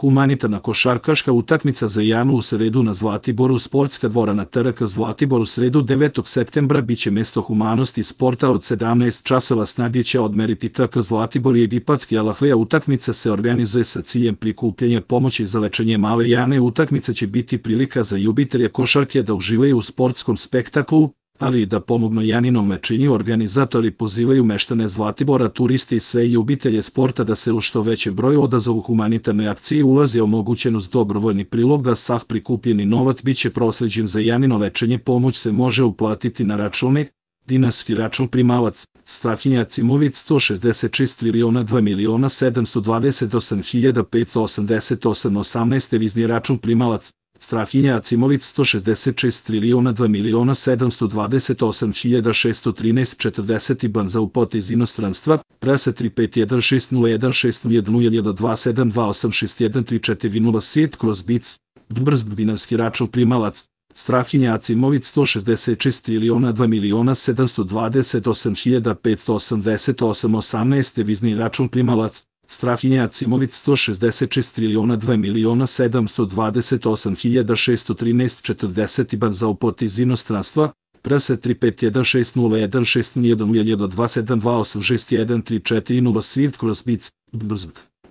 Humanitarna košarkaška utakmica za Janu u sredu na Zlatiboru. Sportska dvorana TRK Zlatibor u sredu 9. septembra biće mesto humanosti i sporta od 17 časova. Snage će odmeriti TRK Zlatibor i Egipatski Al-Ahlija. Utakmica se organizuje sa ciljem prikupljanja pomoći za lečenje male Jane. Utakmica će biti prilika za ljubitelje košarke da uživaju u sportskom spektaklu, ali i da pomognu Janinom lečenju. Organizatori pozivaju meštane Zlatibora, turiste i sve ljubitelje sporta da se u što većem broju odazovu humanitarnoj akciji. Ulaz je omogućen uz dobrovoljni prilog, da sav prikupljeni novac biće prosleđen za Janino lečenje. Pomoć se može uplatiti na račune: dinarski račun primalac Strahinja Cimović 166.272.728.588, devizni račun primalac Strahinja Cimović 166.272.728.613 IBAN za uplate iz inostranstva +3516012728728613407/BIC. Dinarski račun primalac Strahinja Cimović 166.272.728.588, devizni račun primalac Strahinja Cimović 166.272.728.613 IBAN za uplate iz inostranstva +3516016012728613407/BIC.